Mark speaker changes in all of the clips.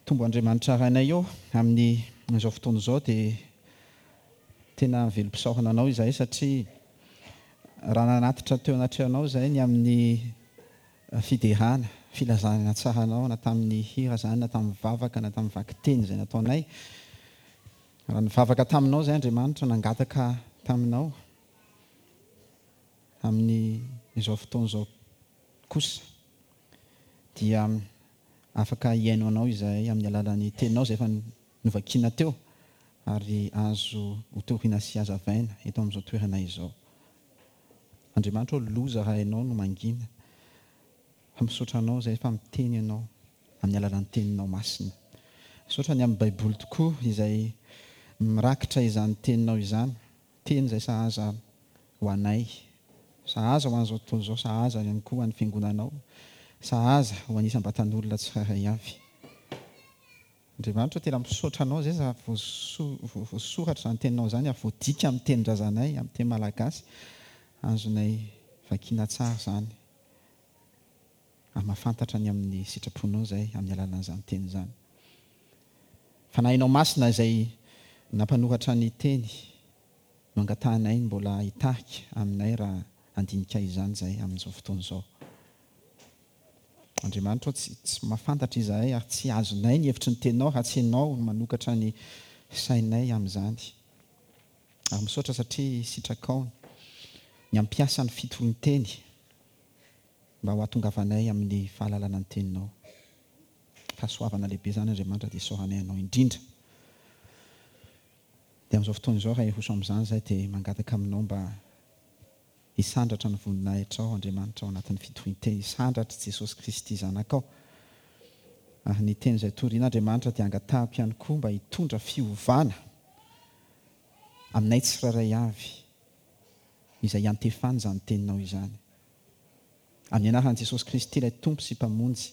Speaker 1: Tompo Andriamanitra Rainay ô, amin'ny izao fotoana izao dia tena velom-pisaorana Anao izahay satria raha nanatitra teo anatrehanao izahay ny amin'ny fiderana, filazana tsara Anao na tamin'ny hira izany na tamin'ny vavaka na tamin'ny vakiteny izay nataonay, raha nivavaka taminao izahay Andriamanitra nangataka taminao amin'ny izao fotoana izao kosa dia afaka hihaino Anao izahay amin'ny alalan'ny Teninao izay efa novakiana teo ary azo hotorina sy hazavaina eto amin'izao toerana izao. Andriamanitra ô, loza raha Ianao no mangina, fa misaotra Anao izahay fa miteny Ianao amin'ny alalan'ny Teninao masina. Misaotra ny amin'ny Baiboly tokoa izay mirakitra izany Teninao izany. Teny izay sahaza ho anay, sahaza ho an'izao tontolo izao, sahaza ihany koa ho an'ny Fiangonanao, sahaza ho an'ny isam-batan'olona tsirairay avy. Andriamanitra ô, tena misaotra Anao izay za voasoratra izany Teninao izany ary voadika amin'ny tenin-drazanay, amin'ny teny malagasy, azonay vakiana tsara izany ary mahafantatra ny amin'ny sitraponao izay amin'ny alalan'izany teny izany. Fanahinao Masina izay nampanoratra ny teny no angatahanay ny mbola hitarika aminay raha handinika izany izahay amin'izao fotoana izao. Andriamanitra ô, tsy tsy mahafantatra izahay ary tsy azonay ny hevitry ny teninao raha tsy Ianao no manokatra ny sainay amin'izany. Ary misaotra satria sitrakao ny hampiasa ny fitorin-teny mba ho hahatongavanay amin'ny fahalalana ny teninao. Fahasoavana lehibe izany Andriamanitra dia isaoranay Anao indrindra. Dia amin'izao fotoana izao raha hiroso amin'izany izahay dia mangataka Aminao mba hisandratra ny voninahitrao Andriamanitra ao anatin'ny fitorian-teny, hisandratra Jesosy Kristy Zanakao. Ary ny teny izay toriana Andriamanitra dia angatahako ihany koa mba hitondra fiovana aminay tsirairay avy izay iantefany izany teninao izany. Amin'ny anaran'i Jesosy Kristy ilay Tompo sy Mpamonjy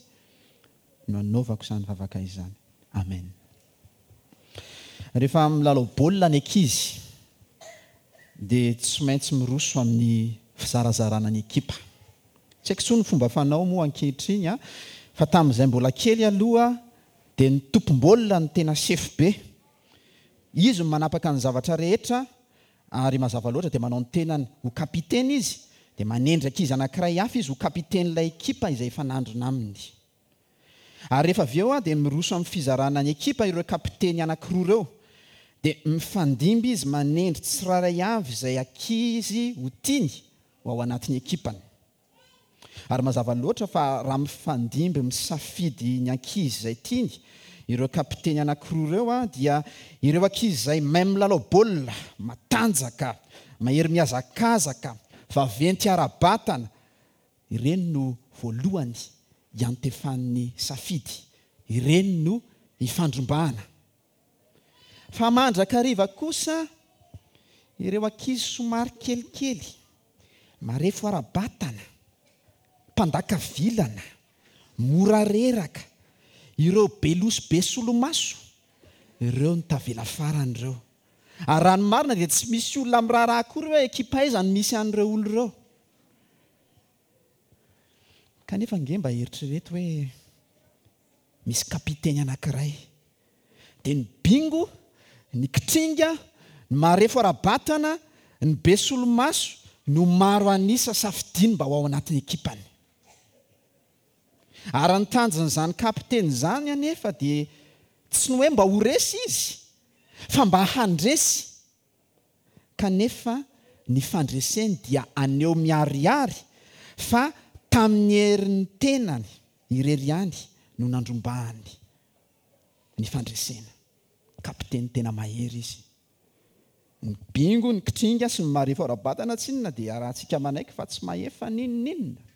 Speaker 1: no anaovako izany vavaka izany. Amen. Rehefa milalao baolina ny ankizy dia tsy maintsy miroso amin'ny fizarazarana ny ekipa. Tsy haiko intsony ny fomba fanao moa ankehitriny an, fa tamin'izay mbola kely aloha dia ny tompom-baolina no tena sefo be. Izy no manapaka ny zavatra rehetra Ary mazava loatra dia manao ny tenany ho kapiteny izy, dia manendry ankizy anankiray hafa izy ho kapitenin'ilay ekipa izay hifanandrina aminy. Ary rehefa avy eo dia miroso amin'ny fizarana ny ekipa ireo kapiteny anankiroa ireo, dia mifandimby izy manendry tsirairay avy izay ankizy ho tiany ho ao anatin'ny ekipany. Ary mazava loatra fa raha mifandimby misafidy ny ankizy izay tiany ireo kapiteny anankiroa ireo dia ireo ankizy izay mahay milalao baolina, matanjaka, mahery mihazakazaka, vaventy ara-batana, ireny no voalohany iantefan'ny safidy, ireny no ifandrombahana. Fa mandrakariva kosa ireo ankizy somary kelikely, marefo ara-batana, mpandaka vilana, mora reraka, ireo be loha sy be solomaso, ireo no tavela farany ireo. Ary raha ny marina dia tsy misy olona miraharaha akory hoe ekipa aiza no misy an'ireo olona ireo. Kanefa ange mba eritrereto hoe misy kapiteny anankiray. Dia ny bingo, ny kitringa, ny marefo ara-batana, ny be solomaso no maro an'isa safidiany mba ho ao anatin'ny ekipany. Ary ny tanjon'izany kapiteny izany anefa dia tsy ny hoe mba ho resy izy fa mba handresy. Kanefa ny fandreseny dia haneho miharihary fa tamin'ny herin'ny tenany irery ihany no nandrombahany ny fandresena. Kapiteny tena mahery izy. Ny bingo, ny kitringa sy ny marefo ara-batana tsinona dia iarahantsika manaiky fa tsy mahefa n'inon'inona.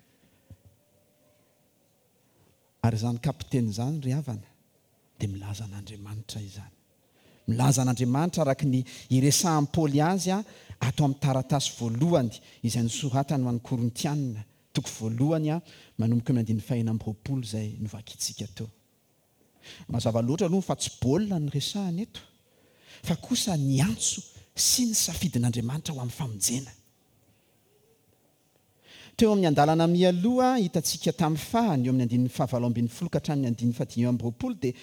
Speaker 1: Ary izany kapiteny izany ry havana dia milaza an'Andriamanitra izany. Milaza an'Andriamanitra araka ny iresahan'i Paoly azy ato amin'ny taratasy voalohany izay nosoratany ho an'ny Korintiana, toko voalohany manomboka eo amin'ny andininy fahenina amby 20 izay novakintsika teo. Mazava loatra aloha fa tsy baolina no resahana eto fa kosa ny antso sy ny safidin'Andriamanitra ho amin'ny famonjena. Teo amin'ny andalana mialoha hitantsika tamin'ny farany, eo amin'ny andininy fahavalo ambin'ny folo ka hatramin'ny andininy fahadimy amby 20 dia.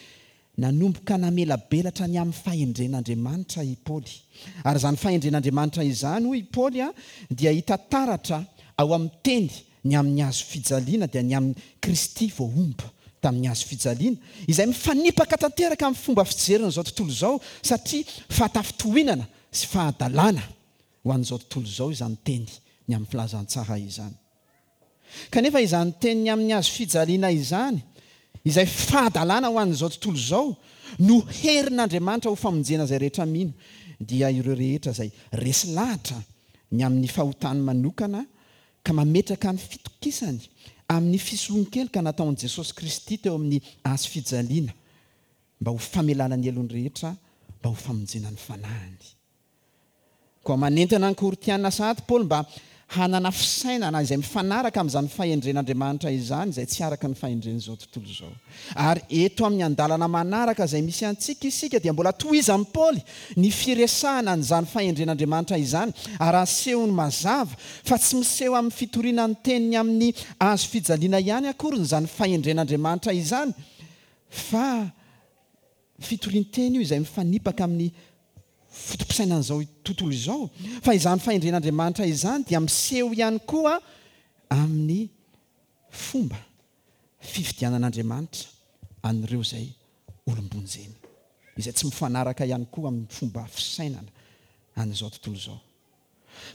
Speaker 1: Nanomboka namelabelatra ny amin'ny fahendren'Andriamanitra i Paoly. Ary izany fahendren'Andriamanitra izany, hoy i Paoly, dia hita taratra ao amin'ny teny ny amin'ny hazo fijaliana, dia ny amin'i Kristy voahombo tamin'ny hazo fijaliana, izay mifanipaka tanteraka amin'ny fomba fijerin'izao tontolo izao, satria fahatafintohinana sy fahadalana ho an'izao tontolo izao izany teny ny amin'ny filazantsara izany. Kanefa izany teniny amin'ny hazo fijaliana izany, izay fahadalana ho an'izao tontolo izao, no herin'Andriamanitra ho famonjena izay rehetra mino, dia ireo rehetra izay resy lahatra ny amin'ny fahotany manokana ka mametraka ny fitokisany amin'ny fisoloan-keloka nataon'i Jesosy Kristy teo amin'ny hazo fijaliana mba ho famelana ny helony rehetra, mba ho famonjena ny fanahiny. Koa manentana ny Korintiana sahady Paoly mba hanana fisainana izay mifanaraka amin'izany fahendren'Andriamanitra izany, izay tsy araka ny fahendren'izao tontolo izao. Ary eto amin'ny andalana manaraka izay misy antsika isika dia mbola tohizan'i Paoly ny firesahana an'izany fahendren'Andriamanitra izany ary asehony mazava fa tsy miseho amin'ny fitoriana ny teniny amin'ny hazo fijaliana ihany akory izany fahendren'Andriamanitra izany fa fitorian-teny io izay mifanipaka amin'ny foto-pisainan'izao tontolo izao, fa izany fahendren'Andriamanitra izany dia miseho ihany koa amin'ny fomba fifidianan'Andriamanitra an'ireo izay olom-bonjeny, izay tsy mifanaraka ihany koa amin'ny fomba fisainana an'izao tontolo izao.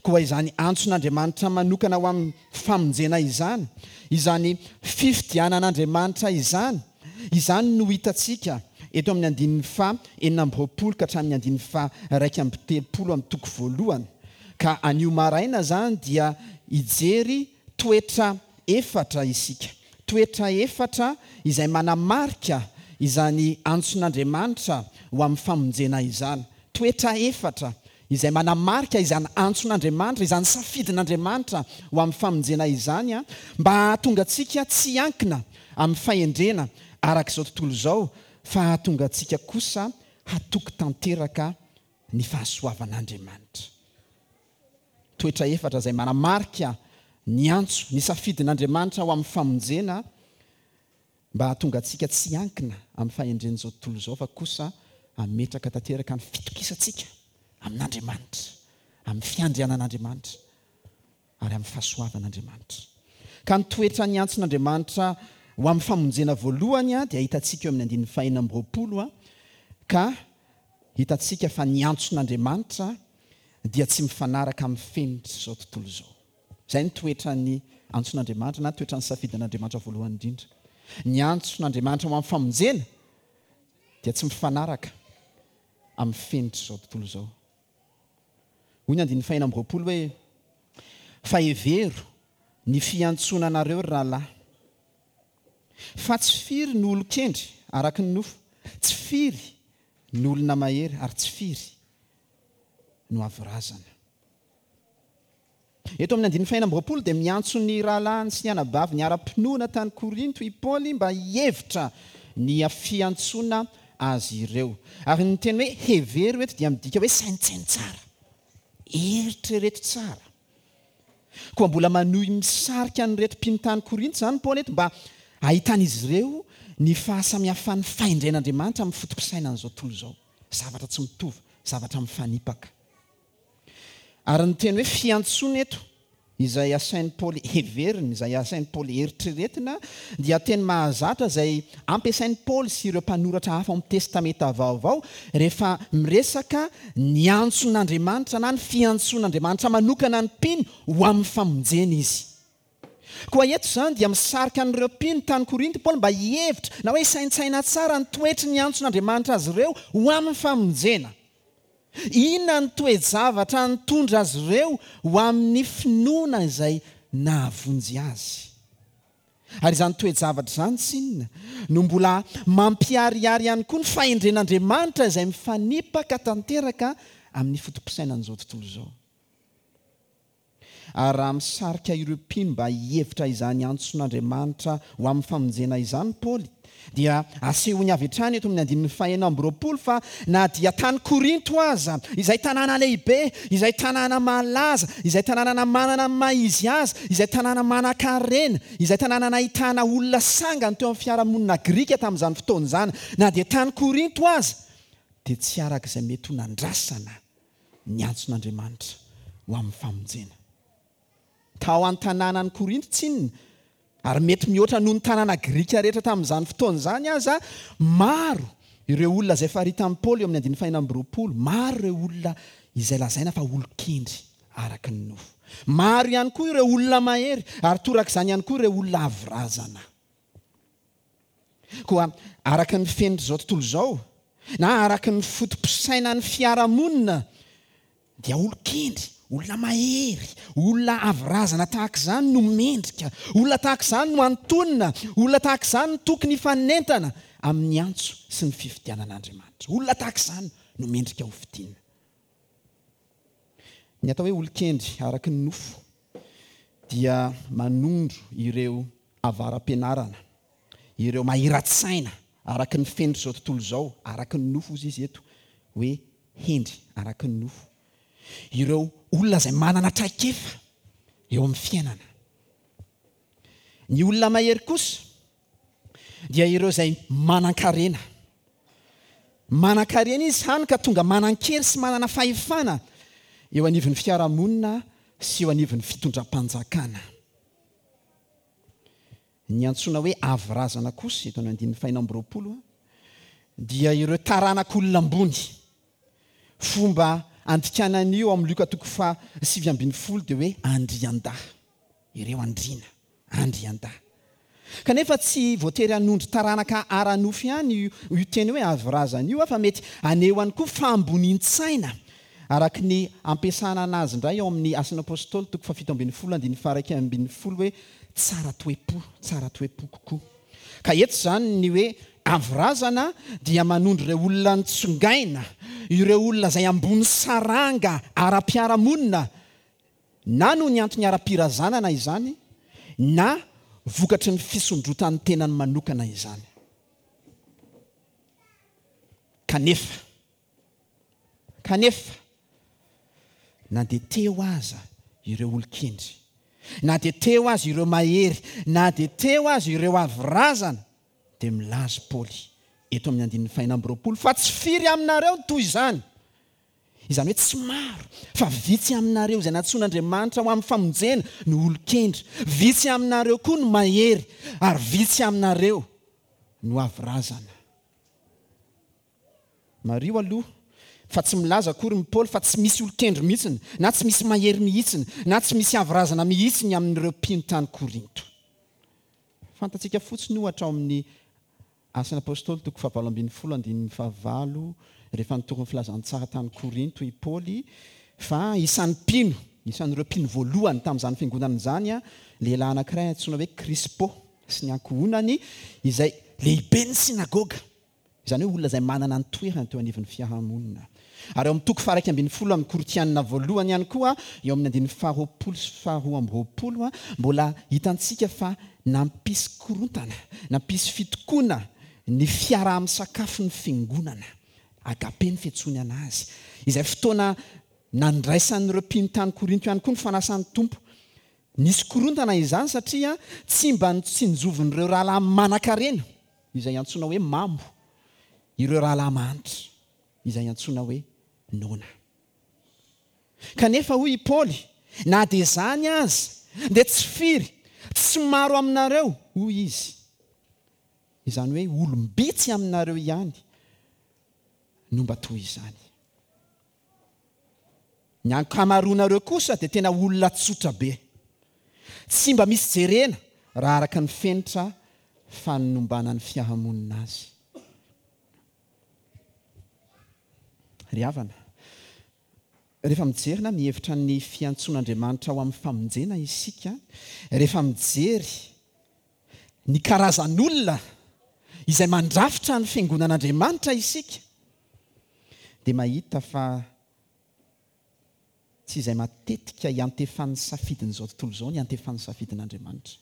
Speaker 1: Koa izany antson'Andriamanitra manokana ho amin'ny famonjena izany, izany fifidianan'Andriamanitra izany, izany no hitantsika eto amin'ny andininy faha 26 ka hatramin'ny andininy faha 31 amin'ny toko voalohany. Ka anio maraina izany dia hijery toetra efatra isika, toetra efatra izay manamarika izany antson'Andriamanitra ho amin'ny famonjena izany, toetra efatra izay manamarika izany antson'Andriamanitra, izany safidin'Andriamanitra ho amin'ny famonjena izany, mba hahatonga antsika tsy hiankina amin'ny fahendrena araka izao tontolo izao, fa hahatonga antsika kosa hatoky tanteraka ny fahasoavan'Andriamanitra. Toetra efatra izay manamarika ny antso, ny safidin'Andriamanitra ho amin'ny famonjena, mba hahatonga antsika tsy hiankina amin'ny fahendren'izao tontolo izao fa kosa hametraka tanteraka ny fitokisantsika amin'Andriamanitra, amin'ny fiandrianan'Andriamanitra ary amin'ny fahasoavan'Andriamanitra. Ka ny toetra niantson'Andriamanitra ho amin'ny famonjena voalohany dia hitantsika eo amin'ny andininy fahenina amby 20 ka hitantsika fa ny antson'Andriamanitra dia tsy mifanaraka amin'ny fenitr'izao tontolo izao. Izay ny toetran'ny antson'Andriamanitra na toetran'ny safidin'Andriamanitra voalohany indrindra. Ny antson'Andriamanitra ho amin'ny famonjena dia tsy mifanaraka amin'ny fenitr'izao tontolo izao. Hoy ny andininy fahenina amby 20 hoe, Fa hevero ny fiantsoana anareo, ry rahalahy, fa tsy firy no olon-kendry araka ny nofo, tsy firy no olona mahery, ary tsy firy no avo razana. Eto amin'ny andininy fahenina amby 20 dia miantso ny rahalahiny sy ny anabaviny ara-pinoana tany Korinto i Paoly mba hihevitra ny fiantsoana azy ireo. Ary ny teny hoe hevero eto dia midika hoe saintsaino tsara, eritrereto tsara. Koa mbola manohy misarika an'ireto mpino tany Korinto izany Paoly eto mba hahitan'izy ireo ny fahasamihafan'ny fahendren'Andriamanitra amin'ny foto-pisainan'izao tontolo izao. Zavatra tsy mitovy, zavatra mifanipaka. Ary ny teny hoe fiantsoana eto, izay asain'i Paoly heverina, izay asain'i Paoly eritreretina, dia teny mahazatra izay ampiasain'i Paoly sy ireo mpanoratra hafa ao amin'ny Testamenta Vaovao rehefa miresaka ny antson'Andriamanitra na ny fiantsoan'Andriamanitra manokana ny mpino ho amin'ny famonjena izy. Koa eto izany dia misarika an'ireo mpino tany Korinto i Paoly mba hihevitra na hoe hisaintsaina tsara ny toetry ny antson'Andriamanitra azy ireo ho amin'ny famonjena. Inona ny toe-javatra nitondra azy ireo ho amin'ny finoana izay nahavonjy azy? Ary izany toe-javatra izany tsinona no mbola mampiharihary ihany koa ny fahendren'Andriamanitra izay mifanipaka tanteraka amin'ny foto-pisainan'izao tontolo izao. Ary raha misarika ireo mpino mba hihevitra izany antson'Andriamanitra ho amin'ny famonjena izany Paoly, dia asehony avy hatrany eto amin'ny andininy fahenina amby 20 fa na dia tany Korinto aza, izay tanàna lehibe, izay tanàna malaza, izay tanàna manana ny maha izy azy, izay tanàna manan-karena, izay tanàna nahitana olona sangany teo amin'ny fiarahamonina grika tamin'izany fotoana izany, na dia tany Korinto aza, dia tsy araka izay mety ho nandrasana ny antson'Andriamanitra ho amin'ny famonjena. Tao an-tanànan'i Korinto tsinona, ary mety mihoatra noho ny tanàna grika rehetra tamin'izany fotoana izany aza, maro ireo olona izay faritan'i Paoly eo amin'ny andininy fahenina amby 20, maro ireo olona izay lazaina fa olon-kendry araka ny nofo. Maro ihany koa ireo olona mahery, ary torak'izany ihany koa ireo olona avo razana. Koa araka ny fenitr'izao tontolo izao, na araka ny foto-pisainan'ny fiarahamonina, dia olon-kendry, olona mahery, olona avo razana tahaka izany no mendrika, olona tahaka izany no antonona, olona tahaka izany no tokony hifanentana amin'ny antso sy ny fifidianan'Andriamanitra. Olona tahaka izany no mendrika ho fidiana. Ny atao hoe olon-kendry araka ny nofo dia manondro ireo avara-pianarana, ireo mahira-tsaina araka ny fenitr'izao tontolo izao, araka ny nofo hozy izy eto, hoe hendry araka ny nofo. Ireo olona izay manana traikefa eo amin'ny fiainana. Ny olona mahery kosa dia ireo izay manan-karena. Manan-karena izy hany ka tonga manan-kery sy manana fahefana eo anivon'ny fiarahamonina sy eo anivon'ny fitondram-panjakana. Ny antsoina hoe avo razana kosa, eto amin'ny andininy fahenina amby 20, dia ireo taranak'olona ambony. Fomba andikana an'io ao amin'ny Lioka toko faha 19 dia hoe andriandahy. Ireo andriana. Andriandahy. Kanefa tsy voatery hanondro taranaka ara-nofo ihany io teny hoe avo razana io fa mety haneho ihany koa fahambonian-tsaina, araka ny ampiasana anazy indray ao amin'ny Asan'ny Apostoly toko faha-17 andininy faha-11 hoe tsara toe-po, tsara toe-po kokoa. Ka eto izany ny hoe avo razana dia manondro ireo olona nitsongaina, ireo olona izay ambony saranga ara-piarahamonina Na noho ny antony ara-pirazanana izany, na vokatry ny fisondrotan'ny tenany manokana izany. Kanefa, kanefa, na dia teo aza ireo olon-kendry, na dia teo aza ireo mahery, na dia teo aza ireo avo razana, dia milaza Paoly eto amin'ny andininy fahenina amby 20 fa tsy firy aminareo ny toy izany. Izany hoe tsy maro, fa vitsy aminareo izay nantsoin'Andriamanitra ho amin'ny famonjena no olon-kendry, vitsy aminareo koa no mahery, ary vitsy aminareo no avo razana. Mariho aloha fa tsy milaza akory ny Paoly fa tsy misy olon-kendry mihitsiny, na tsy misy mahery mihitsiny, na tsy misy avo razana mihitsiny amin'ireo mpino tany Korinto. Fantatsika fotsiny ohatra ao amin'ny Asan'ny Apostoly toko fahavalo ambin'ny folo andininy fahavalo, rehefa nitory ny filazantsara tany Korinto i Paoly, fa isan'ny mpino, isan'ireo mpino voalohany tamin'izany fiangonana izany, lehilahy anankiray antsoina hoe Krispo sy ny ankohonany, izay lehiben'ny synagoga, izany hoe olona izay manana ny toerany teo anivon'ny fiarahamonina. Ary ao amin'ny toko faha-11 amin'ny Korintiana voalohany ihany koa, eo amin'ny andininy faharoapolo sy faharoa amby 20, mbola hitantsika fa nampisy korontana, nampisy fitokoana ny fiaraha-misakafon'ny fiangonana, agape ny fiantsoany anazy, izay fotoana nandraisan'ireo mpino tany Korinto ihany koa ny fanasan'ny Tompo. Nisy korontana izany satria tsy mba notsinjovin'ireo rahalahy manan-karena, izay antsoina hoe mamo, ireo rahalahy mahantra. izay antsoina hoe noana. Kanefa hoy i Paoly, na dia izany aza, dia tsy firy, tsy maro aminareo, hoy izy, izany hoe olom-bitsy aminareo ihany no mba toy izany. Ny ankamaroanareo kosa dia tena olona tsotra be. Tsy mba misy jerena raha araka ny fenitra fanombanan'ny fiarahamonina azy. Ry havana, rehefa mijery na mihevitra ny fiantsoan'Andriamanitra ho amin'ny famonjena isika, rehefa mijery ny karazan'olona izay mandrafitra ny fiangonan'Andriamanitra isika, dia mahita fa. Tsy izay matetika iantefan'ny safidin'izao tontolo izao no iantefan'ny safidin'Andriamanitra.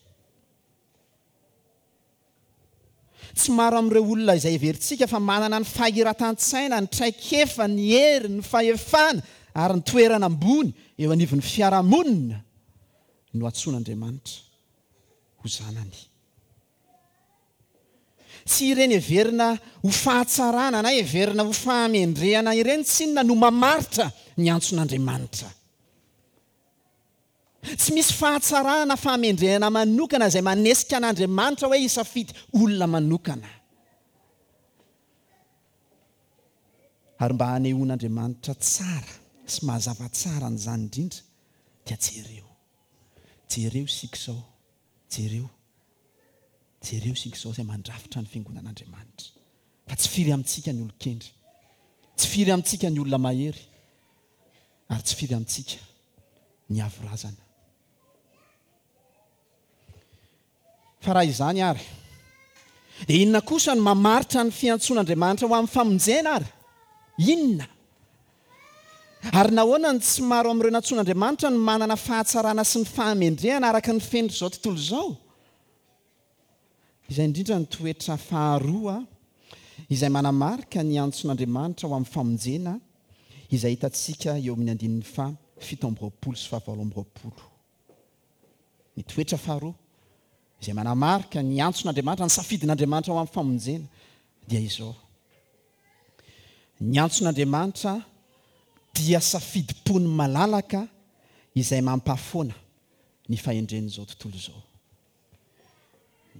Speaker 1: Tsy maro amin'ireo olona izay heverintsika fa manana ny fahiratan-tsaina, ny traikefa, ny hery, ny fahefana ary ny toerana ambony eo anivon'ny fiarahamonina no antsoin'Andriamanitra ho zanany. Tsy ireny heverina ho fahatsarana na heverina ho fahamendrehana ireny tsinona no mamaritra ny antson'Andriamanitra. Tsy misy fahatsarana na fahamendrehana manokana izay manesika an'Andriamanitra hoe hisafidy olona manokana. Ary mba hanehoan'Andriamanitra tsara sy mazava tsara an'izany indrindra dia jereo. Jereo isika izao. Jereo. Jereo isika izao izay mandrafitra ny fiangonan'Andriamanitra. Fa tsy firy amintsika ny olon-kendry. Tsy firy amintsika ny olona mahery. Ary tsy firy amintsika ny avo razana. Fa raha izany ary, dia inona kosa no mamaritra ny fiantsoan'Andriamanitra ho amin'ny famonjena ary? Inona? Ary nahoana no tsy maro amin'ireo nantsoin'Andriamanitra no manana fahatsarana sy ny fahamendrehana araka ny fenitr'izao tontolo izao? Izay indrindra no toetra faharoa izay manamarika ny antson'Andriamanitra ho amin'ny famonjena izay hitantsika eo amin'ny andininy faha 27 sy faha 28. Ny toetra faharoa izay manamarika ny antson'Andriamanitra, ny safidin'Andriamanitra ho amin'ny famonjena dia izao, Ny antson'Andriamanitra dia safidim-pony malalaka izay mampahafoana ny fahendren'izao tontolo izao.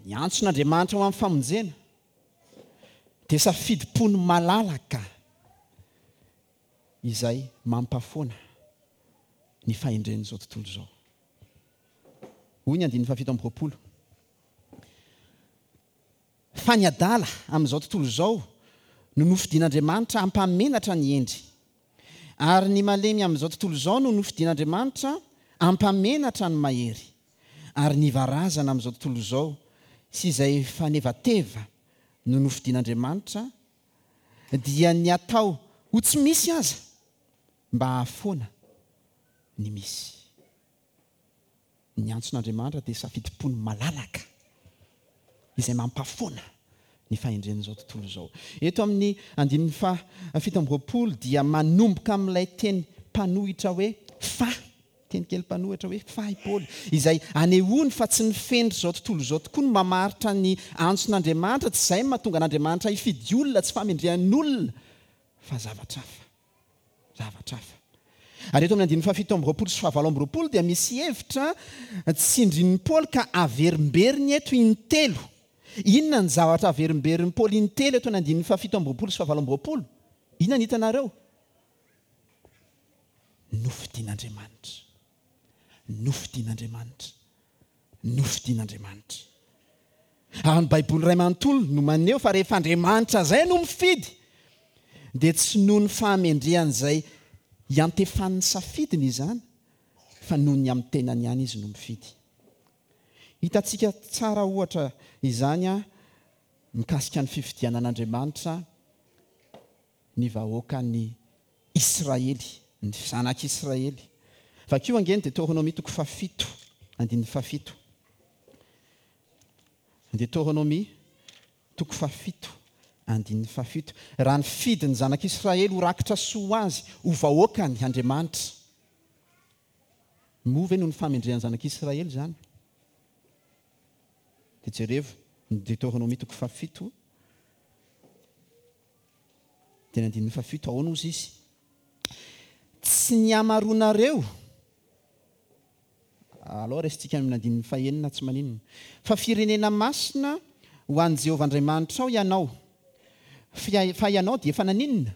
Speaker 1: Ny antson'Andriamanitra ho amin'ny famonjena dia safidim-pony malalaka izay mampafoana ny fahendren'izao tontolo izao. Hoy ny andininy fahafito amby 20, Fa ny adala amin'izao tontolo izao no nofidin'Andriamanitra hampamenatra ny hendry, ary ny malemy amin'izao tontolo izao no nofidin'Andriamanitra hampamenatra ny mahery, ary ny varazana amin'izao tontolo izao sy izay fanevateva no nofidin'Andriamanitra, dia ny atao ho tsy misy aza mba hahafoana ny misy. Ny antson'Andriamanitra dia safidim-pony malalaka izay mampafoana ny fahendren'izao tontolo izao. Eto amin'ny andininy faha 27 dia manomboka amin'ilay teny mpanohitra hoe fa, teny kely mpanohitra hoe fa i Paoly, izay anehoany fa tsy ny fenitr'izao tontolo izao tokoa no mamaritra ny antson'Andriamanitra, tsy izay no mahatonga an'Andriamanitra hifidy olona, tsy fahamendrehan'olona, fa zavatra hafa. Zavatra hafa. Ary eto amin'ny andininy fahafito amby 20 sy fahavalo amby 20 dia misy hevitra tsindrin'i Paoly ka averimberiny eto intelo. Inona ny zavatra averimberin'i Paoly intelo eto amin'ny andininy fahafito amby 20 sy fahavalo amby 20? Inona ny hitanareo? Nofidin'Andriamanitra. Nofidin'Andriamanitra. Nofidin'Andriamanitra. Ary ny Baiboly iray manontolo no maneho fa rehefa Andriamanitra izay no mifidy, dia tsy noho ny fahamendrehan'izay iantefan'ny safidiny izany, fa noho ny amin'ny tenany ihany izy no mifidy. Hitantsika tsara ohatra izany mikasika ny fifidianan'Andriamanitra ny vahoakan'i Israely, ny zanak'i Israely. Vakio ange ny Deteronomia toko fahafito, andininy fahafito. Deteronomia toko fahafito, andininy fahafito. Raha nifidy ny zanak'i Israely ho rakitra soa ho azy, ho vahoakany Andriamanitra, moa ve noho ny fahamendrehan'ny zanak'i Israely izany? Dia jerevo ny Deteronomia toko fahafito. Dia ny andininy fahafito, ahoana hozy izy? Tsy ny hamaroanareo, alao raisintsika amin'ny andininy fahenina, tsy maninona. Fa firenena masina ho an'i Jehovah Andriamanitrao ianao, fa ianao dia efa naninona?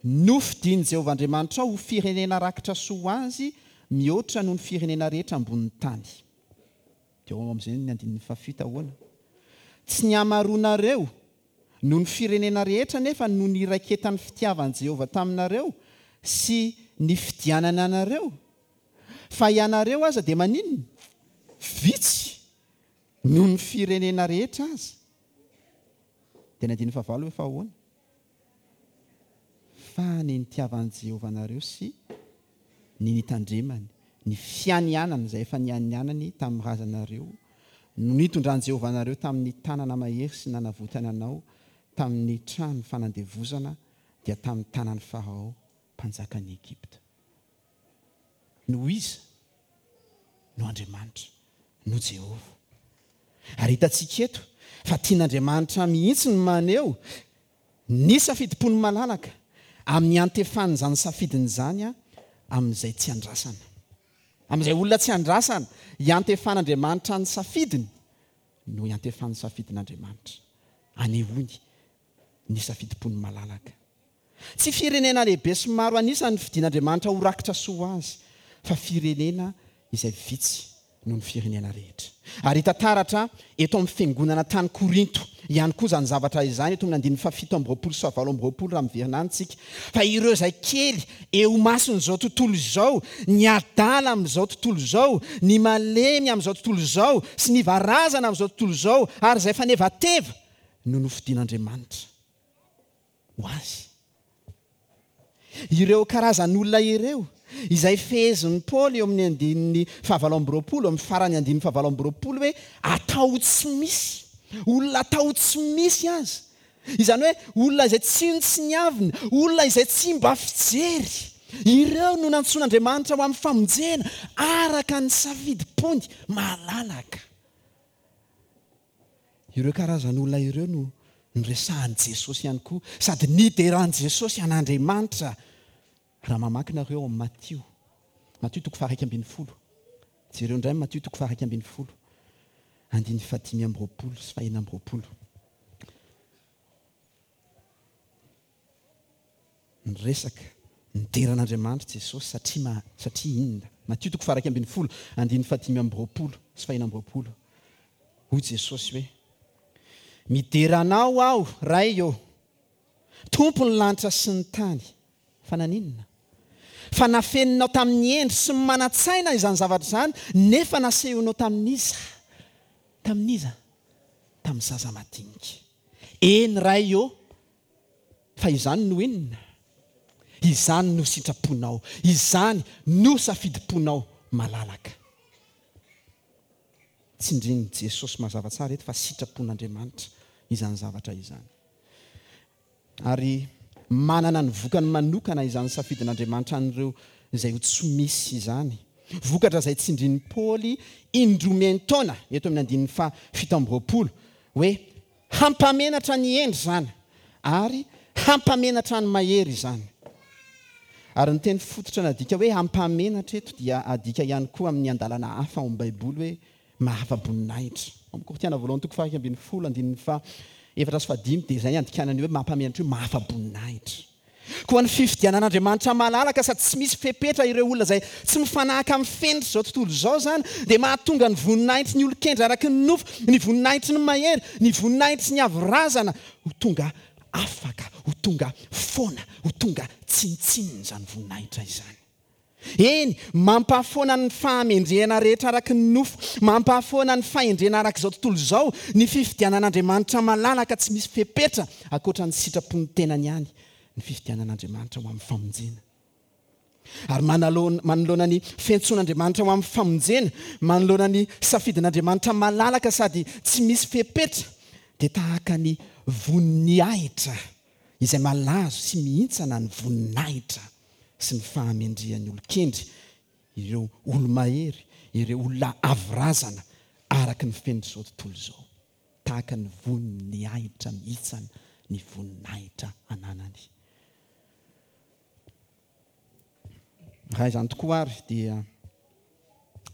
Speaker 1: Nofidin'i Jehovah Andriamanitrao ho firenena rakitra soa ho azy mihoatra noho ny firenena rehetra ambonin'ny tany. Dia ao amin'izay ny andininy fahafito ahoana? Tsy ny hamaroanareo Noho ny firenena rehetra anefa no niraiketan'ny fitiavan'i Jehovah taminareo sy nifidianany anareo. Fa ianareo aza dia maninona? Vitsy noho ny firenena rehetra aza. Dia ny andininy fahavalo hoe fa ahoana? Fa ny nitiavan'i Jehovah anareo sy. Ny nitandremany ny fianianany izay efa nianianany tamin'ny razanareo, no nitondran'i Jehovah anareo tamin'ny tanana mahery sy nanavotany anao tamin'ny trano fanandevozana, dia tamin'ny tanan'i Farao mpanjakan'i Egypta. No iza? No Andriamanitra, no Jehovah. Ary hitantsika eto fa tian'Andriamanitra mihitsy ny maneho Ny safidim-pony malalaka, amin'ny iantefan'izany safidiny izany amin'izay tsy andrasana. Amin'izay olona tsy andrasana, iantefan'Andriamanitra ny safidiny no iantefan'ny safidin'Andriamanitra. Anehoany ny safidim-pony malalaka. Tsy firenena lehibe sy maro an'isa no fidin'Andriamanitra ho rakitra soa ho azy, fa firenena izay vitsy noho ny firenena rehetra. Ary hita taratra eto amin'ny fiangonana tany Korinto ihany koa izany zavatra izany, eto amin'ny andininy fahafito amby 20 sy fahavalo amby 20 raha miverina any isika, fa ireo izay kely eo imason'izao tontolo izao, ny adala amin'izao tontolo izao, ny malemy amin'izao tontolo izao, sy ny varazana amin'izao tontolo izao, ary izay fanevateva, no nofidin'Andriamanitra ho azy. Ireo karazan'olona ireo, izay fehezin'i Paoly eo amin'ny andininy fahavalo amby 20, amin'ny faran'ny andininy fahavalo amby 20 hoe atao ho tsy misy, olona atao ho tsy misy aza, izany hoe olona izay tsinontsiniavina, olona izay tsy mba fijery, ireo no nantsoin'Andriamanitra ho amin'ny famonjena araka ny safidim-pony malalaka. Ireo karazan'olona ireo no noresahan'i Jesosy ihany koa, sady nideran'i Jesosy an'Andriamanitra. Raha mamaky nareo ao amin'ny Matio, Matio toko faha-11. Jereo indray Matio toko faha-11, andininy fahadimy amby 20 sy fahenina amby 20. Niresaka, nidera an'Andriamanitra Jesosy satria ma, satria inona? Matio toko faha-11, andininy fahadimy amby 20 sy fahenina amby 20. Hoy Jesosy hoe, Midera Anao aho, Ray ô, Tompon'ny lanitra sy ny tany. Fa naninona? Fa nafeninao tamin'ny hendry sy ny manan-tsaina izany zavatra izany, nefa nasehonao tamin'iza? Tamin'iza? Tamin'ny zaza madinika. Eny, Ray ô, Fa izany no inona? Izany no sitraponao, izany no safidim-ponao malalaka. Tsindrin'i Jesosy mazava tsara eto fa sitrapon'Andriamanitra izany zavatra izany. Ary manana ny vokany manokana izany safidin'Andriamanitra an'ireo izay ho tsy misy izany. Vokatra izay tsindrin'i Paoly indroa miantaona eto amin'ny andininy faha 27 hoe Hampamenatra ny hendry izany, ary hampamenatra ny mahery izany. Ary ny teny fototra nadika hoe hampamenatra eto dia adika ihany koa amin'ny andalana hafa ao amin'ny Baiboly hoe mahafa-boninahitra. Ao amin'ny Korintiana voalohany toko faha-11 andininy faha-4 sy faha-5 dia izay ny andikana ny hoe mampamenatra io mahafa-boninahitra. Koa ny fifidianan'Andriamanitra malalaka sady tsy misy fepetra ireo olona izay tsy mifanahaka amin'ny fenitr'izao tontolo izao izany dia mahatonga ny voninahitry ny olon-kendry araky ny nofo, ny voninahitry ny mahery, ny voninahitry ny avo razana ho tonga afaka, ho tonga foana, ho tonga tsinontsinona izany voninahitra izany. Eny, mampahafoana ny fahamendrehana rehetra araka ny nofo, mampahafoana ny fahendrena araka izao tontolo izao ny fifidianan'Andriamanitra malalaka tsy misy fepetra ankoatra ny sitrapon'ny tenany ihany ny fifidianan'Andriamanitra ho amin'ny famonjena. Ary manoloana ny fiantsoan'Andriamanitra ho amin'ny famonjena, manoloana ny safidin'Andriamanitra malalaka sady tsy misy fepetra, dia tahaka ny voninahitra izay malazo sy mihintsana ny voninahitra sy ny fahamendrehan'ny olon-kendry, ireo olo-mahery, ireo olona avo razana araka ny fenitr'izao tontolo izao, tahaka ny voninahitra mihitsana ny voninahitra ananany. Raha izany tokoa ary dia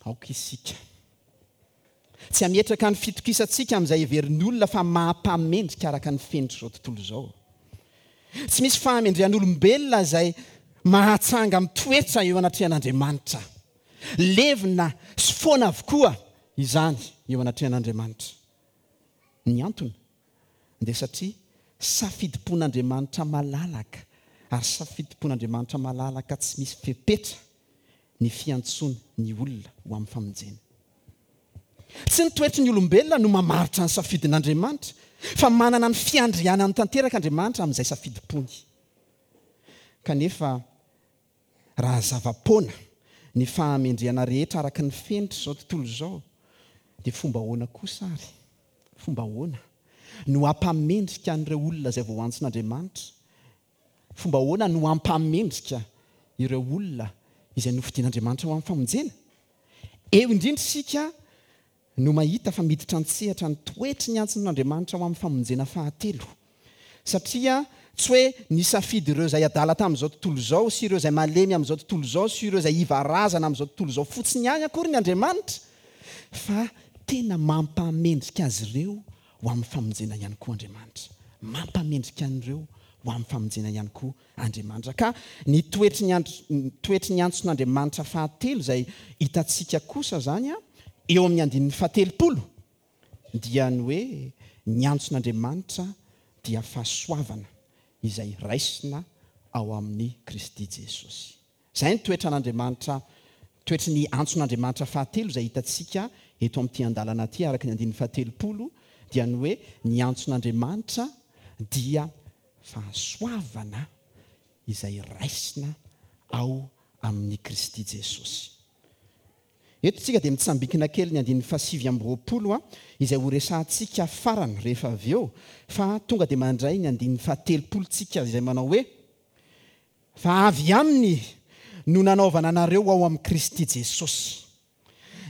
Speaker 1: aoka isika tsy hametraka ny fitokisantsika amin'izay heverin'ny olona fa maha-mpamendrika araka ny fenitr'izao tontolo izao. Tsy misy fahamendrehan'olombelona izay mahatsanga mitoetra eo anatrehan'Andriamanitra. Levona sy foana avokoa izany eo anatrehan'Andriamanitra. Ny antony dia satria safidim-pon'Andriamanitra malalaka ary safidim-pon'Andriamanitra malalaka tsy misy fepetra ny fiantsoany ny olona ho amin'ny famonjena. Tsy ny toetry ny olombelona no mamaritra ny safidin'Andriamanitra, fa manana ny fiandrianany tanteraka Andriamanitra amin'izay safidim-pony. Kanefa raha zava-poana. ny fahamendrehana rehetra araka ny fenitr'izao tontolo izao, dia fomba ahoana kosa ary, fomba ahoana, no hampamendrika an'ireo olona izay voaantson'Andriamanitra? Fomba ahoana no hampamendrika ireo olona izay nofidin'Andriamanitra ho amin'ny famonjena? Eo indrindra isika no mahita fa miditra an-tsehatra ny toetry ny antson'Andriamanitra ho amin'ny famonjena fahatelo. Satria tsy hoe nisafidy ireo izay adala tamin'izao tontolo izao sy ireo izay malemy amin'izao tontolo izao sy ireo izay iva razana amin'izao tontolo izao fotsiny ihany akory ny Andriamanitra fa tena mampamendrika azy ireo ho amin'ny famonjena ihany koa Andriamanitra. Mampamendrika an'ireo ho amin'ny famonjena ihany koa Andriamanitra. Ka ny toetry ny andro, ny toetry ny antson'Andriamanitra fahatelo izay hitantsika kosa izany eo amin'ny andininy fahatelopolo dia ny hoe ny antson'Andriamanitra dia fahasoavana izay raisina ao amin'i Kristy Jesosy. Izay ny toetran'Andriamanitra, toetry ny antson'Andriamanitra fahatelo izay hitantsika eto amin'ity andalana ity araka ny andininy fahatelopolo dia ny hoe ny antson'Andriamanitra dia fahasoavana izay raisina ao amin'i Kristy Jesosy. Eto isika dia mitsambikina kely ny andininy fahasivy amby 20 izay horesahantsika farany rehefa avy eo fa tonga dia mandray ny andininy fahatelopolo tsika izay manao hoe, Fa avy Aminy no nanaovana anareo ao amin'i Kristy Jesosy,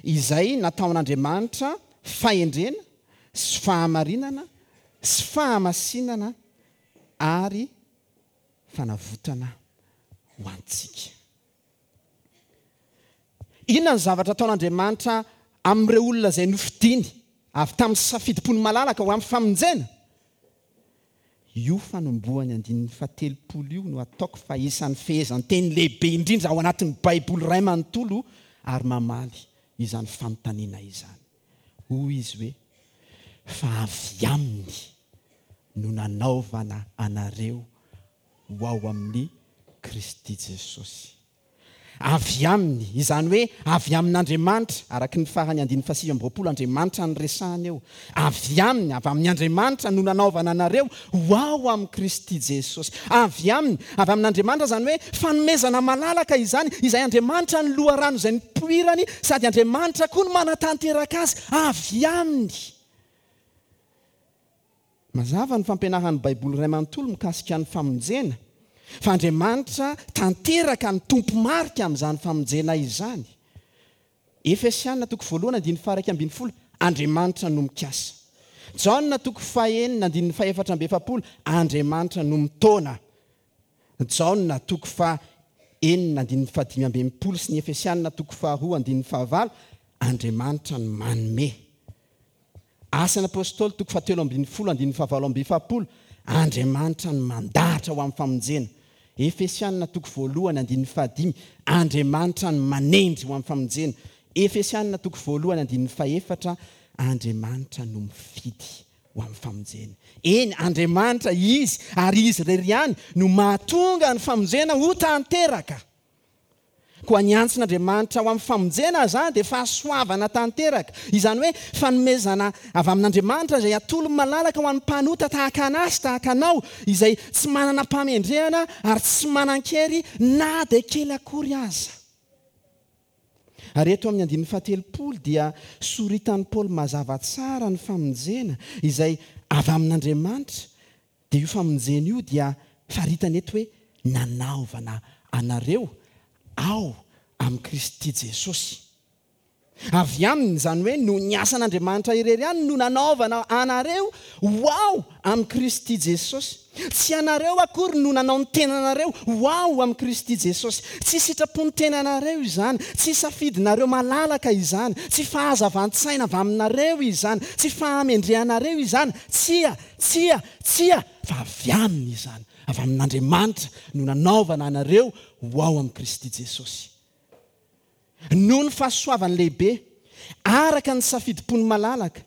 Speaker 1: izay nataon'Andriamanitra fahendrena sy fahamarinana sy fahamasinana ary fanavotana ho antsika. Inona ny zavatra ataon'Andriamanitra amin'ireo olona izay nofidiny avy tamin'ny safidim-pony malalaka ho amin'ny famonjena? Io fanombohan'ny andininy fahatelopolo io no ataoko fa isan'ny fehezanteny lehibe indrindra ao anatin'ny Baiboly iray manontolo ary mamaly izany fanontaniana izany. Hoy izy hoe, Fa avy Aminy no nanaovana anareo ho ao amin'i Kristy Jesosy. Avy Aminy, izany hoe avy amin'Andriamanitra, araka ny faran'ny andininy fahasivy amby 20, Andriamanitra no resahana eo. Avy Aminy, avy amin' Andriamanitra no nanaovana anareo ho ao amin'i Kristy Jesosy. Avy Aminy, avy amin'Andriamanitra, izany hoe fanomezana malalaka izany, izay Andriamanitra no loharano izay nipoirany, sady Andriamanitra koa no manatanteraka azy, avy Aminy. Mazava ny fampianaran'ny Baiboly iray manontolo mikasika ny famonjena, fa Andriamanitra tanteraka no tompo-marika amin'izany famonjena izany. Efesiana toko voalohany andininy faha-11, Andriamanitra no mikasa. Jaona toko fahenina andininy faha-44, Andriamanitra no mitaona. Jaona toko faha-enina andininy faha-65 sy ny Efesiana toko faharoa andininy fahavalo, Andriamanitra no manome. Asan'ny Apostoly toko fahatelo ambin'ny folo andininy fahavalo amby 40, Andriamanitra no mandahatra ho amin'ny famonjena. Efesiana toko voalohany andininy fahadimy, Andriamanitra no manendry ho amin'ny famonjena. Efesiana toko voalohany andininy fahefatra, Andriamanitra no mifidy ho amin'ny famonjena. Eny, Andriamanitra Izy ary Izy irery ihany no mahatonga ny famonjena ho tanteraka. Koa ny antson'Andriamanitra ho amin'ny famonjena izany dia fahasoavana tanteraka, izany hoe fanomezana avy amin'Andriamanitra izay atolony malalaka ho an'ny mpanota tahaka anà sy tahaka anao, izay tsy manana mpamendrehana ary tsy manan-kery na dia kely akory aza. Ary eto amin'ny andininy fahatelopolo dia soritan'i Paoly mazava tsara ny famonjena izay avy amin'Andriamanitra, dia io famonjena io dia faritany eto hoe nanaovana anareo ao amin'i Kristy Jesosy. Avy Aminy, izany hoe noho ny asan'Andriamanitra irery ihany no nanaovana anareo ho ao amin'i Kristy Jesosy. Tsy ianareo akory no nanao ny tenanareo ho ao amin'i Kristy Jesosy. Tsy sitrapon'ny tenanareo izany, tsy safidinareo malalaka izany, tsy fahazavan-tsaina avy aminareo izany, tsy fahamendrehanareo izany, tsia, tsia, tsia, fa avy Aminy izany, avy amin'Andriamanitra no nanaovana anareo ho ao amin'i Kristy Jesosy. Noho ny fahasoavany lehibe, araka ny safidim-pony malalaka,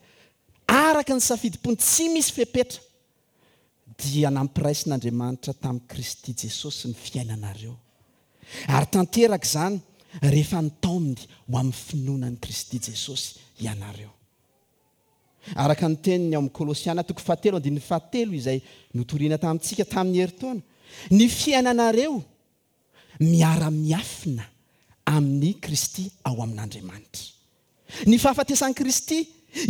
Speaker 1: araka ny safidim-pony tsy misy fepetra, dia nampiraisin'Andriamanitra tamin'i Kristy Jesosy ny fiainanareo. Ary tanteraka izany rehefa nitaominy ho amin'ny finoana an'i Kristy Jesosy ianareo. Araka ny teniny ao amin'ny Kolosiana toko fahatelo andininy fahatelo izay notorina tamintsika tamin'ny herintaona, ny fiainanareo miara-miafina. amin'i Kristy ao amin'Andriamanitra. Ny fahafatesan'i Kristy,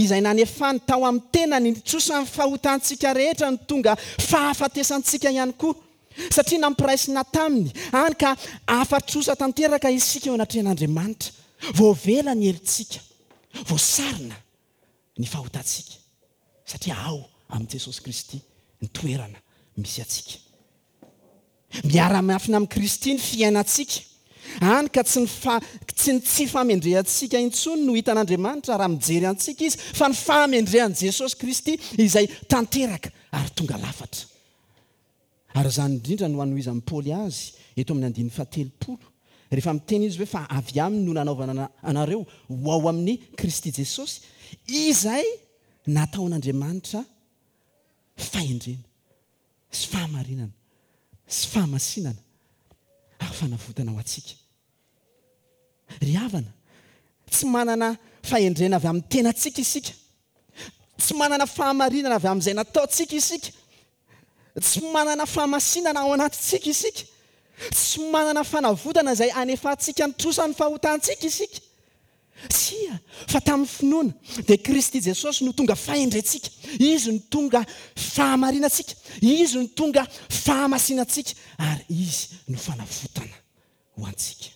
Speaker 1: izay nanefany tao amin'ny tenany ny trosan'ny fahotantsika rehetra no tonga fahafatesantsika ihany koa, satria nampiraisina taminy, hany ka afa-trosa tanteraka isika eo anatrehan'Andriamanitra. Voavela ny helotsika, voasarona ny fahotantsika, satria ao amin'i Jesosy Kristy ny toerana misy antsika. Miara-miafina amin'i Kristy ny fiainantsika, hany ka tsy ny fa, tsy ny tsy fahamendrehantsika intsony no hitan'Andriamanitra raha mijery antsika Izy, fa ny fahamendrehan'i Jesosy Kristy izay tanteraka ary tonga lafatra. Ary izany indrindra no anohizan'i Paoly azy eto amin'ny andininy fahatelopolo, rehefa miteny izy hoe fa avy aminy no nanaovana anareo ho ao amin'i Kristy Jesosy, izay nataon'Andriamanitra fahendrena. sy fahamarinana sy fahamasinana ary fanavotana ho antsika. Ry havana, tsy manana fahendrena avy amin'ny tenantsika isika, tsy manana fahamarinana avy amin'izay nataontsika isika, tsy manana fahamasinana ao anatintsika isika, tsy manana fanavotana izay anefantsika ny trosan'ny fahotantsika isika. Tsia, fa tamin'ny finoana, dia Kristy Jesosy no tonga fahendrentsika, Izy no tonga fahamarinantsika, Izy no tonga fahamasinantsika, ary Izy no fanavotana ho antsika.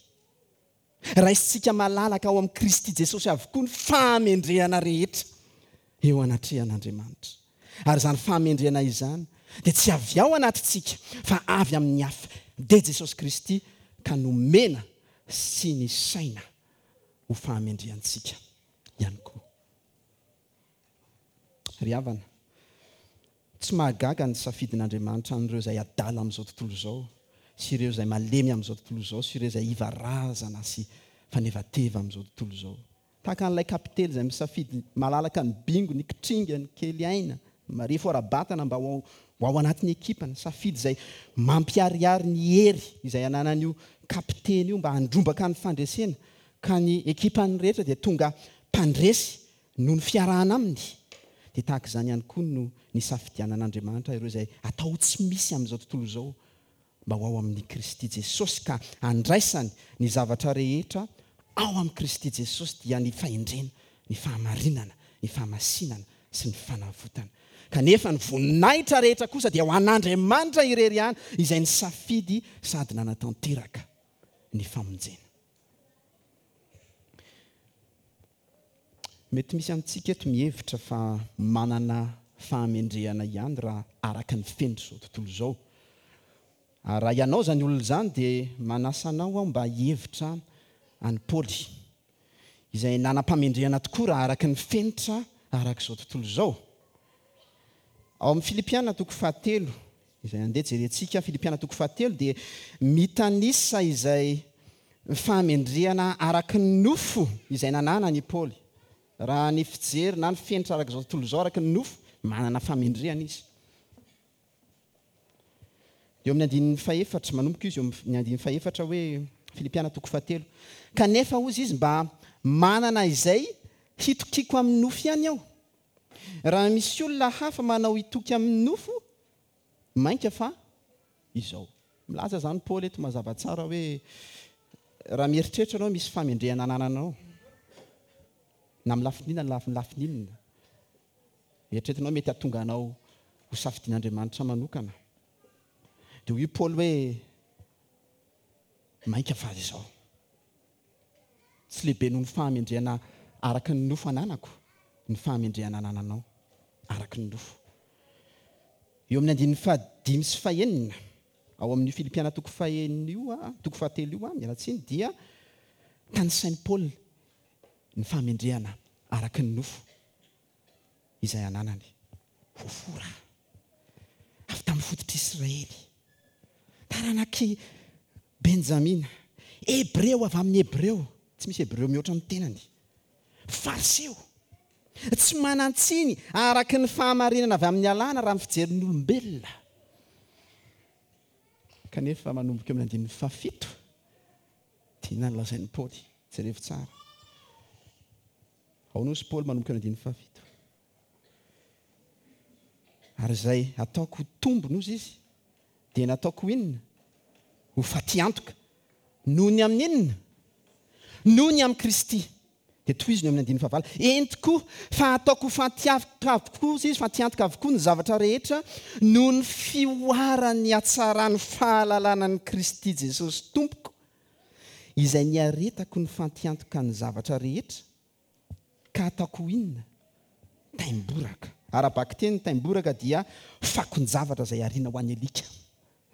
Speaker 1: Raisintsika malalaka ao amin'i Kristy Jesosy avokoa ny fahamendrehana rehetra eo anatrehan'Andriamanitra. Ary izany fahamendrehana izany dia tsy avy ao anatintsika, fa avy amin'ny hafa, dia Jesosy Kristy, ka nomena sy nisaina ho fahamendrehantsika ihany koa. Ry havana, tsy mahagaga ny safidin'Andriamanitra an'ireo izay adala amin'izao tontolo izao sy ireo izay malemy amin'izao tontolo izao sy ireo izay iva razana sy fanevateva amin'izao tontolo izao. Tahaka an'ilay kapiteny izay misafidy malalaka ny bingo, ny kitringa, ny kely aina, ny marefo ara-batana mba ho ao anatin'ny ekipany, safidy izay mampiharihary ny hery izay ananan'io kapiteny io mba handrombaka ny fandresena, ka ny ekipany rehetra dia tonga mpandresy noho ny fiarahana aminy, dia tahaka izany ihany koa no nisafidianan'Andriamanitra ireo izay atao ho tsy misy amin'izao tontolo izao mba ho ao amin'i Kristy Jesosy ka handraisany ny zavatra rehetra ao amin'i Kristy Jesosy dia ny fahendrena, ny fahamarinana, ny fahamasinana sy ny fanavotana. Kanefa ny voninahitra rehetra kosa dia ho an'Andriamanitra irery ihany izay nisafidy sady nanatanteraka ny famonjena. Mety misy amintsika eto mihevitra fa manana fahamendrehana ihany raha araka ny fenitr'izao tontolo izao. Ary raha ianao izany olona izany dia manasa anao aho mba hihevitra an'i Paoly, izay nanam-pahamendrehana tokoa raha araka ny fenitra araka izao tontolo izao. Ao amin'ny Filipiana toko fahatelo, izay andeha jerentsika, Filipiana toko fahatelo dia mitanisa izay fahamendrehana araka ny nofo izay nananany i Paoly. Raha ny fijery na ny fenitra araka izao tontolo izao araka ny nofo, manana fahamendrehana izy. Eo amin'ny andininy fahefatra, manomboka izy eo amin'ny andininy fahefatra hoe, Filipiana toko fahatelo, Kanefa, hozy izy, mba manana izay hitokiako amin'ny nofo ihany aho. Raha misy olona hafa manao hitoky amin'ny nofo, mainka fa izao. Milaza izany Paoly eto mazava tsara hoe raha mieritreritra ianao misy fahamendrehana anananao, na amin'ny lafiny inona na amin'ny lafiny inona, eritreretinao mety hahatonga anao ho safidian'Andriamanitra manokana. Dia hoy Paoly hoe mainka fa izao. Tsy lehibe noho ny fahamendrehana araka ny nofo ananako ny fahamendrehana anananao araka ny nofo. Eo amin'ny andininy fahadimy sy fahenina ao amin'io Filipiana toko fahenina io, toko fahatelo io, miala tsiny, dia tanisain'i Paoly ny fahamendrehana araka ny nofo izay ananany. Voafora avy tamin'ny fototr'Israely, taranak'i Benjamina, Hebreo avy amin'ny Hebreo, tsy misy Hebreo mihoatra ny tenany, Fariseo, tsy manan-tsiny araka ny fahamarinana avy amin'ny Lalàna raha ny fijerin'ny olombelona. Kanefa manomboka eo amin'ny andininy fahafito, dia inona no lazain'i Paoly? Jerevo tsara. Ao nosy Paoly manomboka eo amin'ny andininy fahafito. Ary izay ataoko ho tombony, hozy izy, dia nataoko ho inona? Ho fatiantoka. Noho ny amin'ny inona? Noho ny amin'i Kristy. Dia tohizo ny eo amin'ny andininy fahavalo. Eny tokoa, fa ataoko ho fantiantoka avokoa, hoy izy, fantiantoka avokoa ny zavatra rehetra noho ny fihoaran'ny hatsaran'ny fahalalana an'i Kristy Jesosy Tompoko, izay niaretako ny fantiantoka ny zavatra rehetra, ka ataoko ho inona? Taimboraka. Ara-bakiteny, ny taimboraka dia fakon-javatra izay ariana ho an'ny alika.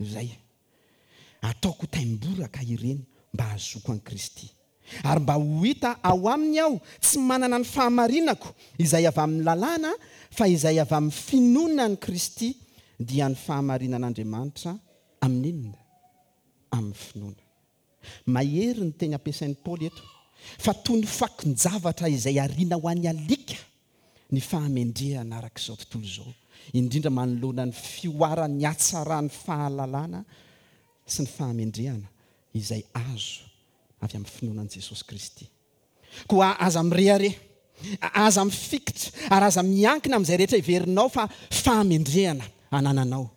Speaker 1: Izay. Ataoko ho taimboraka ireny mba hahazoako an'i Kristy. Ary mba ho hita ao aminy aho, tsy manana ny fahamarinako izay avy amin'ny lalàna, fa izay avy amin'ny finoana an'i Kristy, dia ny fahamarinan'Andriamanitra amin'inona? Amin'ny finoana. Mahery ny teny ampiasain'i Paoly eto, fa toy ny fakon-javatra izay ariana ho an'ny alika ny fahamendrehana araka izao tontolo izao, indrindra manoloana ny fihoaran'ny hatsaran'ny fahalalana sy ny fahamendrehana izay azo avy amin'ny finoana an'i Jesosy Kristy. Koa aza mirehareha, aza mifikitra, ary aza miankina amin'izay rehetra heverinao fa fahamendrehana anananao.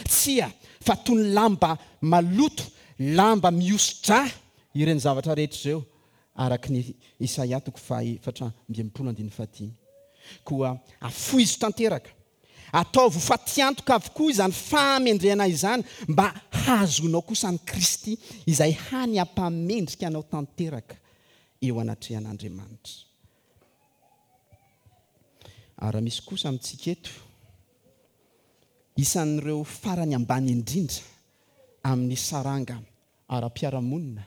Speaker 1: Tsia, fa toy ny lamba maloto, lamba mihoso-drà ireny zavatra rehetra ireo, araka ny Isaia toko faha-64 andininy fahadimy. Koa afoizo tanteraka, ataovy ho fatiantoka avokoa izany fahamendrehana izany, mba hahazoanao kosa an'i Kristy, izay hany hampamendrika anao tanteraka eo anatrehan'Andriamanitra. Ary raha misy kosa amintsika eto, Isan'ireo farany ambany indrindra amin'ny saranga ara-piarahamonina,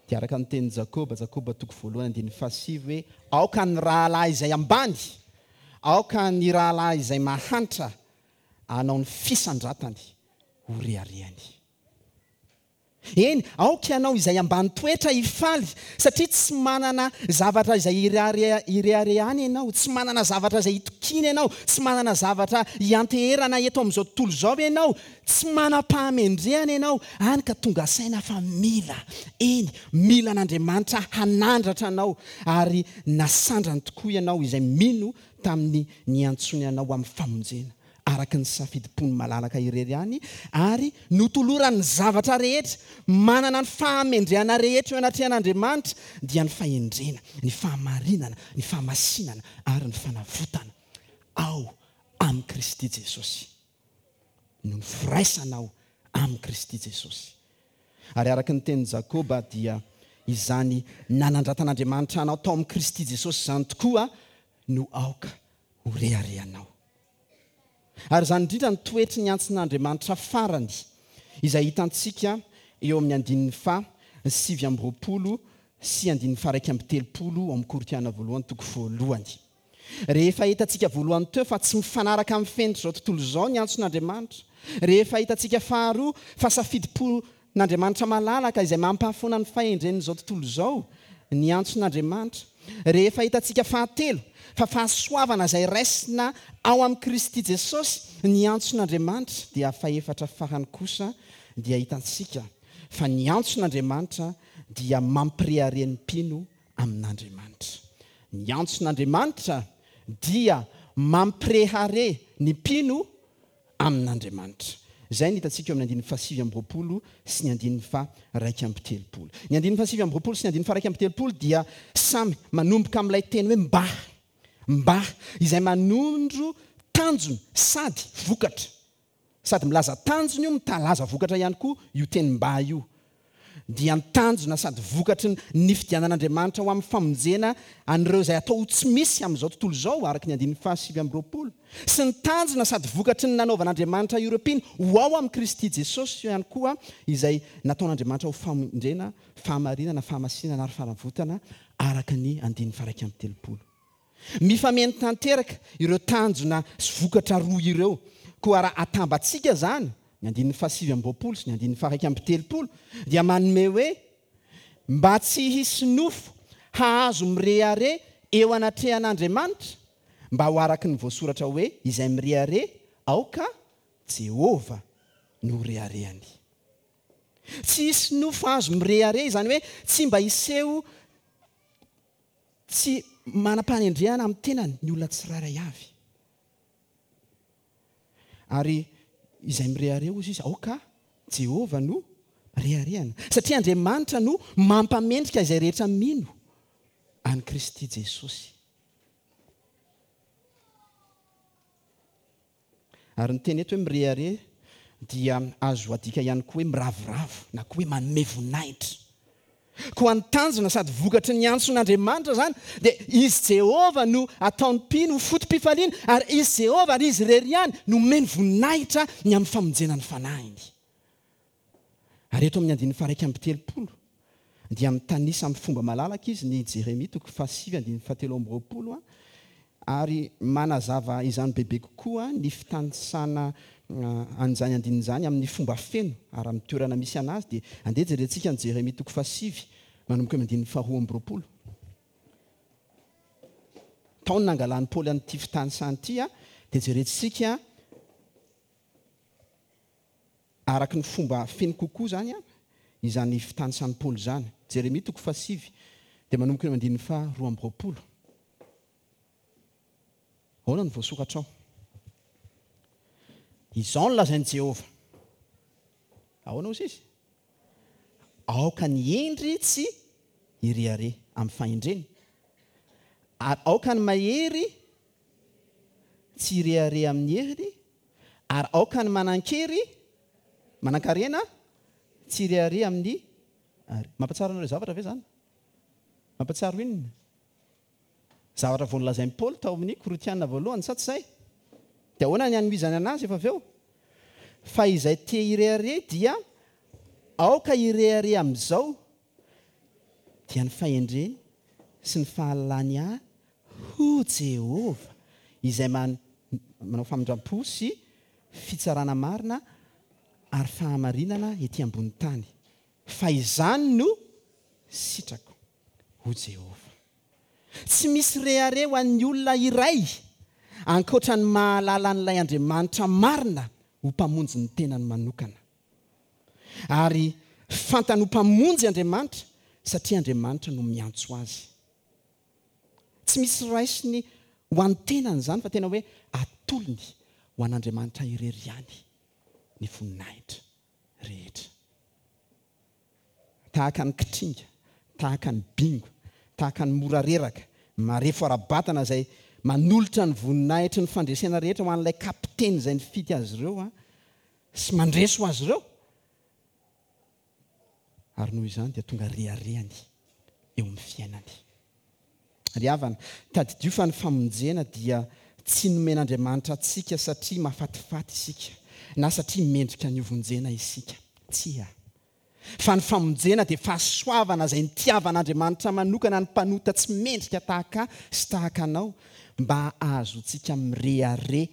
Speaker 1: dia araka ny tenin'i Jakoba, Jakoba toko voalohany andininy fahasivy hoe, Aoka ny rahalahy izay ambany, aoka ny rahalahy izay mahantra hanao ny fisandratany ho reharehany. Eny, aoka ianao izay ambany toetra hifaly, satria tsy manana zavatra izay ireharehana ianao, tsy manana zavatra izay itokiana ianao, tsy manana zavatra ianteherana eto amin'izao tontolo izao ianao, tsy manam-pahamendrehana ianao, hany ka tonga saina fa mila, eny, mila an'Andriamanitra hanandratra anao, ary nasandrany tokoa ianao izay mino tamin'ny niantsoany anao ho amin'ny famonjena. araka ny safidim-pony malalaka irery ihany, ary notolorany ny zavatra rehetra, manana ny fahamendrehana rehetra eo anatrehan'Andriamanitra, dia ny fahendrena, ny fahamarinana, ny fahamasinana ary ny fanavotana ao amin'i Kristy Jesosy. Noho ny firaisanao amin'i Kristy Jesosy. Ary araka ny tenin'i Jakoba dia izany nanandratan'Andriamanitra anao tao amin'i Kristy Jesosy izany tokoa no aoka ho reharehanao. Ary izany indrindra no toetry ny antson'Andriamanitra farany, izay hitantsika eo amin'ny andininy faha 29 sy andininy faha 31 ao amin'ny Korintiana voalohany toko voalohany. Rehefa hitantsika voalohany teo fa tsy mifanaraka amin'ny fenitr'izao tontolo izao ny antson'Andriamanitra, rehefa hitantsika faharoa fa safidim-pon'Andriamanitra malalaka izay mampahafoana ny fahendren'izao tontolo izao ny antson'Andriamanitra, Rehefa hitantsika fahatelo fa fahasoavana izay raisina ao amin'i Kristy Jesosy ny antson'Andriamanitra, dia fahefatra farany kosa dia hitantsika fa ny antson'Andriamanitra dia mampirehareha ny mpino amin'Andriamanitra. Ny antson'Andriamanitra dia mampirehareha ny mpino amin'Andriamanitra. Izay no hitantsika eo amin'ny andininy faha-29 sy ny andininy faha-31. Ny andininy faha-29 sy ny andininy faha-31 dia samy manomboka amin'ilay teny hoe mba, mba, izay manondro tanjona sady vokatra. Sady milaza tanjona io, mitalaza vokatra ihany koa io teny mba io. Dia ny tanjona sady vokatry ny nifidianan'Andriamanitra ho amin'ny famonjena an'ireo izay atao ho tsy misy amin'izao tontolo izao, araka ny andininy faha-29, sy ny tanjona sady vokatry ny nanaovan'Andriamanitra ireo mpino ho ao amin'i Kristy Jesosy ihany koa, izay nataon'Andriamanitra ho famonjena, fahamarinana, fahamasinana ary fanavotana, araka ny andininy faha-31. Mifameno tanteraka ireo tanjona sy vokatra roa ireo. Koa raha atambatsika izany, ny andininy faha-29 sy ny andininy faha-31, dia manome hoe, Mba tsy hisy nofo hahazo mirehareha eo anatrehan'Andriamanitra, mba ho araka ny voasoratra hoe, Izay mirehareha, aoka Jehovah no ho reharehany. Tsy hisy nofo hahazo mirehareha, izany hoe tsy mba hiseho Tsy manam-pahendrehana amin'ny tenany ny olona tsirairay avy. Ary izay mirehareha, hozy izy, aoka Jehovah no Reharehana. Satria Andriamanitra no mampamendrika izay rehetra mino an'i Kristy Jesosy. Ary ny teny eto hoe mirehareha dia azo adika ihany koa hoe miravoravo na koa hoe manome voninahitra. Koa ny tanjona sady vokatry ny antson'Andriamanitra izany dia Izy Jehovah no ataon'ny mpino ho foto-pifaliana ary Izy Jehovah ary Izy irery ihany no omeny voninahitra ny amin'ny famonjena ny fanahiny. Ary eto amin'ny andininy faha-31 dia mitanisa amin'ny fomba malalaka izy ny Jeremia toko fahasivy andininy fahatelo amby roapolo ary manazava izany bebe kokoa ny fitanisana an'izany andininy izany amin'ny fomba feno ary amin'ny toerana misy an'azy dia andeha jerentsika ny Jeremia toko fahasivy manomboka amin'ny andininy faharoa amby roapolo. Tao ny nangalan'i Paoly an'ity fitanisana ity dia jerentsika Araka ny fomba feno kokoa izany izany fitanisan'i Paoly izany. Jeremia toko fahasivy dia manomboka eo amin'ny andininy faha 22. Ahoana no voasoratra ao? Izao no lazain'i Jehovah. Ahoana hozy izy? Aoka ny hendry tsy hirehareha amin'ny fahendreny, ary aoka ny mahery tsy hirehareha amin'ny heriny, Ary aoka ny manan-kery, manan-karena, tsy hirehareha amin'ny ary. Mampahatsiaro anareo zavatra ve izany? Mampahatsiaro inona? Zavatra vao nolazain'i Paoly tao amin'ny Korintiana voalohany, sa tsy izay? Dia ahoana ny hanohizany an'azy efa avy eo? Fa izay te hirehareha dia aoka hirehareha amin'izao, dia ny fahendreny sy ny fahalalany ahy ho Jehovah, izay manao famindram-po sy fitsarana marina ary fahamarinana ety ambony tany, fa izany no sitrako, ho Jehovah. Tsy misy rehareha ho an'ny olona iray ankoatra ny mahalala an'ilay Andriamanitra marina ho Mpamonjy ny tenany manokana. Ary fantany ho Mpamonjy Andriamanitra satria Andriamanitra no miantso azy. Tsy misy raisiny ho an'ny tenany izany fa tena hoe atolony ho an'Andriamanitra irery ihany ny voninahitra rehetra. Tahaka ny kitringa, tahaka ny bingo, tahaka ny mora reraka, marefo ara-batana izay manolotra ny voninahitry ny fandresena rehetra ho an'ilay kapiteny izay nifidy azy ireo sy mandresy ho azy ireo. Ary noho izany dia tonga reharehany eo amin'ny fiainany. Ry havana, tadidio fa ny famonjena dia tsy nomen'Andriamanitra antsika satria mahafatifaty isika, na satria mendrika ny hovonjena isika. Tsia. Fa ny famonjena dia fahasoavana izay nitiavan'Andriamanitra manokana ny mpanota tsy mendrika tahaka ahy sy tahaka anao, mba hahazoantsika mirehareha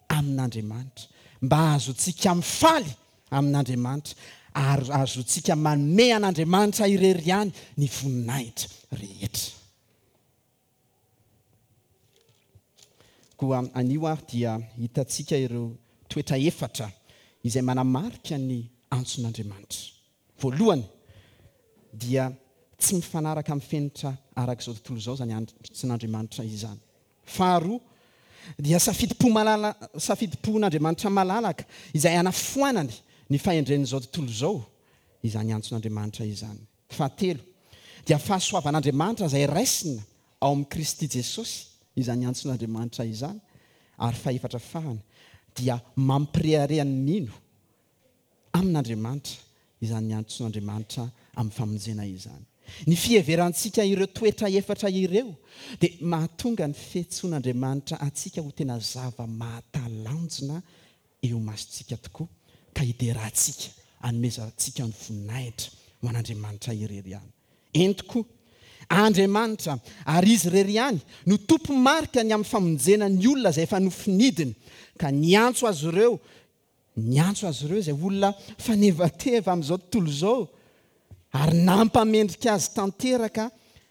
Speaker 1: amin'Andriamanitra, mba hahazoantsika mifaly amin'Andriamanitra, ary hahazoantsika manome an'Andriamanitra irery ihany ny voninahitra rehetra. Koa anio ary dia hitantsika ireo toetra efatra izay manamarika ny antson'Andriamanitra. Voalohany dia tsy mifanaraka amin'ny fenitra araka izao tontolo izao izany antson'Andriamanitra izany. Faharoa, dia safidim-po malala, safidim-pon'Andriamanitra malalaka izay hanafoanany ny fahendren'izao tontolo izao izany antson'Andriamanitra izany. Fahatelo, dia fahasoavan'Andriamanitra izay raisina ao amin'i Kristy Jesosy izany antson'Andriamanitra izany. Ary fahefatra farany, dia mampirehareha ny mino amin'Andriamanitra izany antson'Andriamanitra amin'ny famonjena izany. Ny fiheverantsika ireo toetra efatra ireo dia mahatonga ny fiantsoan'Andriamanitra antsika ho tena zava-mahatalanjona eo imasontsika tokoa, ka hiderantsika, hanomezantsika ny voninahitra ho an'Andriamanitra irery ihany. Eny tokoa, Andriamanitra, ary Izy irery ihany, no tompo-marika ny amin'ny famonjena ny olona izay efa nofinidiny, ka niantso azy ireo Niantso azy ireo izay olona fanevateva amin'izao tontolo izao ary nampamendrika azy tanteraka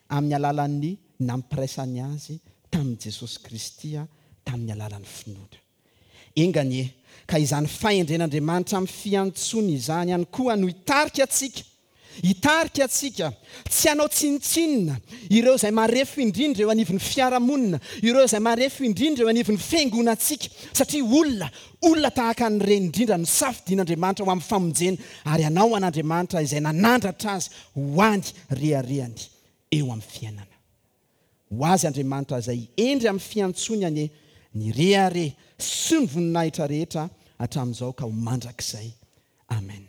Speaker 1: amin'ny alalan'ny nampiraisany azy tamin'i Jesosy Kristy tamin'ny alalan'ny finoana. Enga anie ka izany fahendren'Andriamanitra amin'ny fiantsoany izany ihany koa no hitarika antsika. hitarika antsika tsy hanao tsinontsinona ireo izay marefo indrindra eo anivon'ny fiarahamonina, ireo izay marefo indrindra eo anivon'ny fiangonantsika, satria olona, olona tahaka an'ireny indrindra no safidian'Andriamanitra ho amin'ny famonjena ary hanao an'Andriamanitra izay nanandratra azy ho any reharehany eo amin'ny fiainana. Ho azy Andriamanitra izay hendry amin'ny fiantsoany anie ny rehareha sy ny voninahitra rehetra hatramin'izao ka ho mandrakizay. Amen.